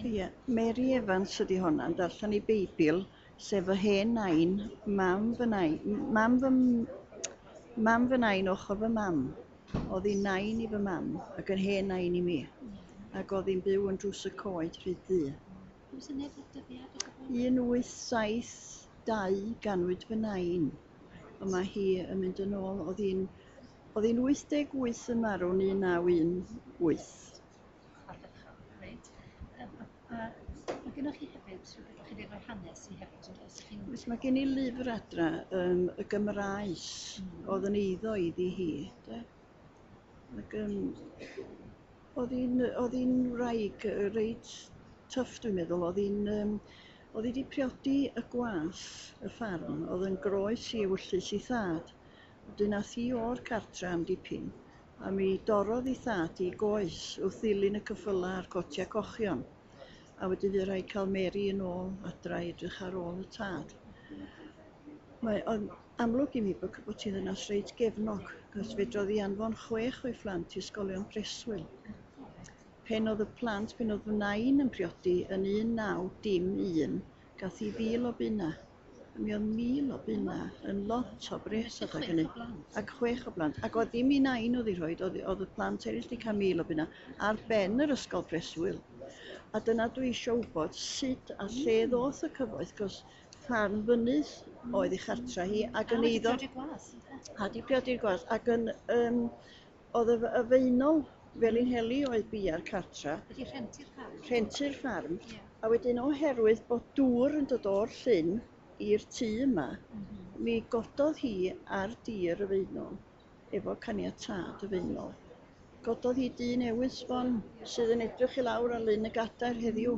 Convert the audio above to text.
Ie, Mary Evans ydy honna, yn darllen ei Beibl, sef fy hen nain, mam fy nain, mam fy nain ochr fy mam. Oedd hi'n nain i fy mam ac yn hen nain i mi. Ac oedd hi'n byw yn Drws y Coed, Rhyd Ddu. Oes syniad o'r dyddiad o gwbl? 1872 ganwyd fy nain. Ond mae hi yn mynd yn ôl, oedd hi'n 88 yn marw yn 1918. Ardderchog, reit. A mae gennych chi hefyd rhywbeth o'ch chi wedi rhoi hanes i hefyd, yn does? Oes, mae gen i lyfr adra, y Gymraes, oedd yn eiddo iddi hi. De? Ac oedd hi'n wraig reit tough, dwi'n meddwl. Oedd hi wedi priodi y gwas y ffarm, oedd yn groes i ewyllys ei thad. Wedyn ath hi o'r cartra am dipyn, a mi dorrodd ei thad i goes wrth ddilyn y ceffyla a'r cotia cochion. A wedyn fydd rhaid cael Mary yn ôl adra i edrych ar ôl y tad. Mae o'n amlwg i mi bod hi'n ddynas reit gefnog, cos fedrodd hi anfon chwech o'i phlant i ysgolion preswyl. Pen oedd y plant, pen oedd fy nain yn priodi yn 1901, gath hi 1,000 o bunna. A mi oedd 1,000 o bunna yn lot o bres adeg hynny. Ac chwech o blant. Ac oedd dim i nain oedd ei rhoi, oedd y plant eraill wedi cael 1,000 o bunna ar ben yr ysgol preswyl. A dyna dwi eisiau wybod sut a lle ddoth y cyfoeth, cos ffarm fynydd oedd ei chartra hi ac yn eiddo. Gwas, ynde? A di priodi'r gwas ac yn oedd y Faenol Felinheli oedd bia'r cartra. Wedi rhentu'r ffarm. Rhentu'r ffarm. A wedyn oherwydd bod dŵr yn dod o'r llyn i'r tŷ yma, mi gododd hi ar dir y Faenol efo caniatâd y Faenol. Gododd hi dŷ newydd sbon sydd yn edrych i lawr ar Lyn y Gadair heddiw.